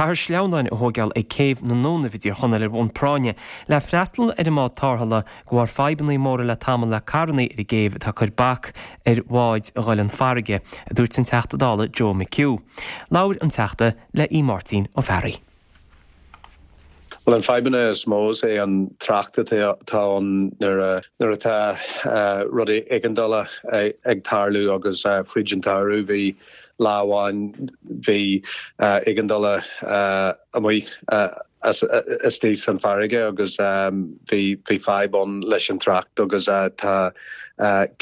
Caithfear sleamhnáin a thóigeáil ag céibh na nDúnaibh i dTír Chonaill ar bhonn práinne le freastal ar an mbád tárrthála de bharr fadhbanna móra le tamall le carrannaí ar an gcéibh atá ag cur bac ar bháid a dhul 'un farraige, a dúirt an Teachta Dála Joe McHugh. Labhair an Teachta le Aodh Máirtín Ó Fearraigh. Bhuel, an fadhbanna is mó is é an trácht atá ann nuair a nuair atá rudaí éigeandála ag tarlú agus fríd an tsamhradh bhí lá amháin bhí éigeandála amuigh istigh san farraige agus bhí bhí fadhb ann leis an trácht agus tá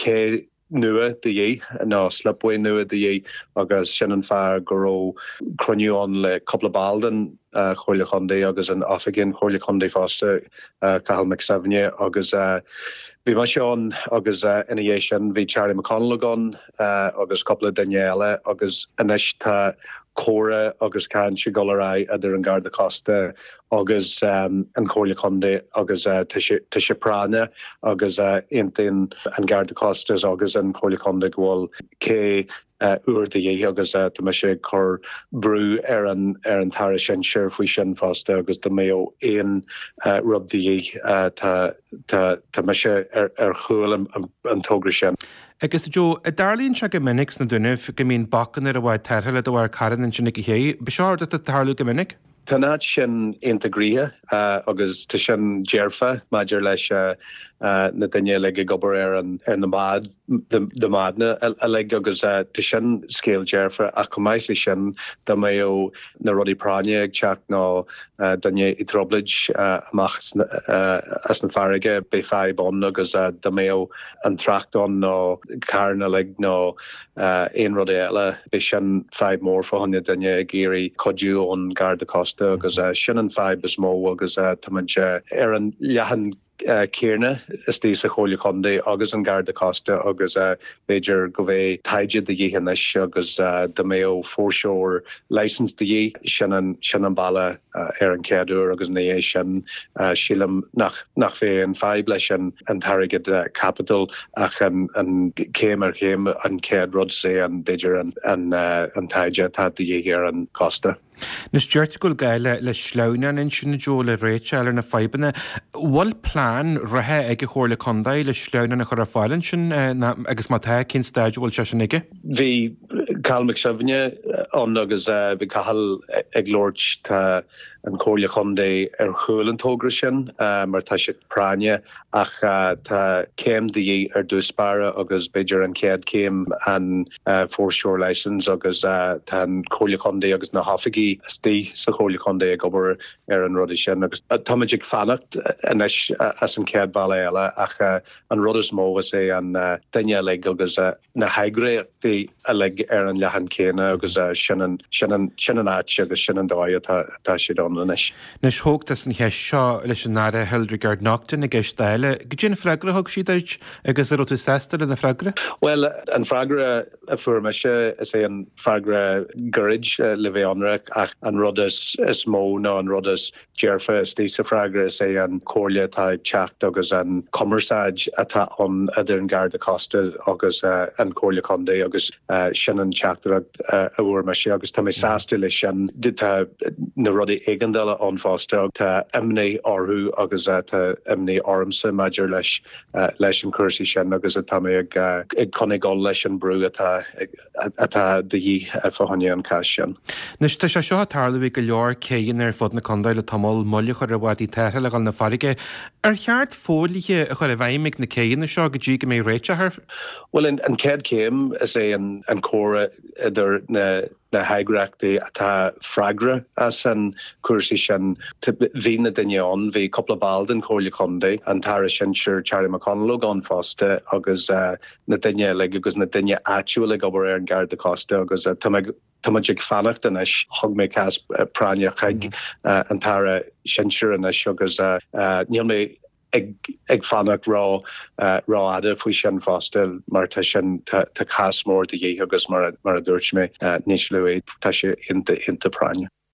cé nua de dhíth, nó slipway nua de dhíth agus sin an fáth go raibh cruinniú ann le cúpla ball den Chomhairle Chontae agus an Oifigigh an Chomhairle Chontae fosta, Cathal Mac Suibhne agus bhí mise ann agus ina dhiaidh sin bhí Charlie McConalogue ann agus cúpla duine eile agus anois tá comhrá agus caint ag dul ar aghaidh idir an Garda Cósta agus an Chomhairle Contae agus tá sé práinneach agus aontaíonn an Garda Cósta agus an Chomhairle Contae go bhfuil cé úr de dhíth agus tá mise ag cur brú ar an ar an tAire Sinsir faoi sin fosta agus dá mbeadh aon rud de dhíth tá tá tá mise ar ar chúl an togra sin. Agus Joe, an dtarlaíonn sé go minic sna Dúnaibh go mbíonn bacanna ar an bhád tarrthála de bharr carranna ansin ag an ché? Ab é seo rud atá ag tarlú go minic? Tá an áit sin iontach gnoitheach agus tá sin dearfa maidir leis na daoine uilig ag obair ar an ar na bád na bádanna uilig agus tá sin scéal dearfa ach chomh maith leis sin dá mbeadh na rudaí práinne ag teacht nó duine i dtrioblóid amach as an farraige beidh fadhb ann agus dá mbeadh an trácht ann nó carranna uilig nó aon rud eile. Beidh sin fadhb mór fá choinne duine ag iarraidh cuidiú ón Garda Cósta agus sin an fadhb is mó agus táimid ar an leathán céanna istigh sa Chomhairle Contae agus an Garda Cósta agus b'fhéidir go mbeidh taighde de dhíth anois agus dá mbeadh foreshore licence de dhíth, sin an sin an bealach ar an chéad uair agus ina dhiaidh sin sílim nach nach bheidh aon fadhb leis an an t-airgead caipitil ach an an céim ar chéim an chéad rud is é an b'fhéidir an an an taighde atá de dhíth ar an gcósta. Anois deirtear go bhfuil gá le le sleamhnán ansin a Joe le réiteach a fháil ar na fadhbanna. Bhfuil plean reatha ag an Chomhairle Contae le sleamhnán a chur ar fáil ansin agus má tá cén staid a bhfuil sé sin aige? Bhí Cathal Mac Suibhne ann agus bhí Cathal ag labhairt, tá an Chomhairle Chontae ar chúl an togra sin mar tá sé práinneach ach tá céim de dhíth ar dtús báire agus b'fhéidir an chéad chéim an foreshore licence agus tá an Chomhairle Chontae agus na hoifigí istigh sa Chomhairle Chontae ag obair ar an rudaí sin agus táimid ag fanacht anois as an chéad bhealach eile ach an rud is mó is é an duine uilig agus na heagraíochtaí uilig ar an leathán céanna agus sin an, sin an, sin an áit agus sin an dóigh atá, atá siad ann anois. Anois, thóg tusa an cheist seo leis an Aire Hildegarde Naughton i gceist Dála. Goidé an freagra a thug sí duit agus an raibh tú sásta lena freagra? Bhuel, an freagra a fuair mise, is é an freagra gairid le bheith ionraic ach an rud is, is mó nó an rud is dearfa istigh sa freagra is é an comhairle atá ag teacht agus an cumarsáid atá ann idir an Garda Cósta agus an Chomhairle Contae agus sin an teachtaireacht a fuair mise agus tá mé sásta leis sin. Tá na rudaí éigeandála ann fosta, tá imní orthu agus tá imní ormsa maidir leis leis an cúrsaí sin agus tá mé ag ag coinneáil leis an brú atá ag atá de dhíth fá choinne an cás sin. Anois, tá sé seo ag tarlú ag go leor céidheanna ar fud na contae le tamall, moill a chur ar bhádaí tarrthála a dhul 'na farraige. Ar cheart fodhlíthe a chur i bhfeidhm ag na céidheanna seo go dtí go mbeidh réiteach air? Bhuel, an chéad chéim is é an comhrá idir na na heagraíochtaí atá freagrach as an cúrsaí sin. Bhí na daoine ann, bhí cúpla ball den Chomhairle Contae, an tAire Sinsir Charlie McConalogue ann fosta agus na daoine uilig agus na daoine áitiúil ag obair ar an Garda Cósta agus tá mé tá muid ag fanacht anois. Thug mé cás práinneach chuig an tAire Sinsir anois agus níl mé ag ag fanacht ró rófhada faoi sin fosta mar tá sin tá tá cás mór de dhíth agus mar a mar a dúirt mé níos luaithe tá sé iontach iontach práinneach.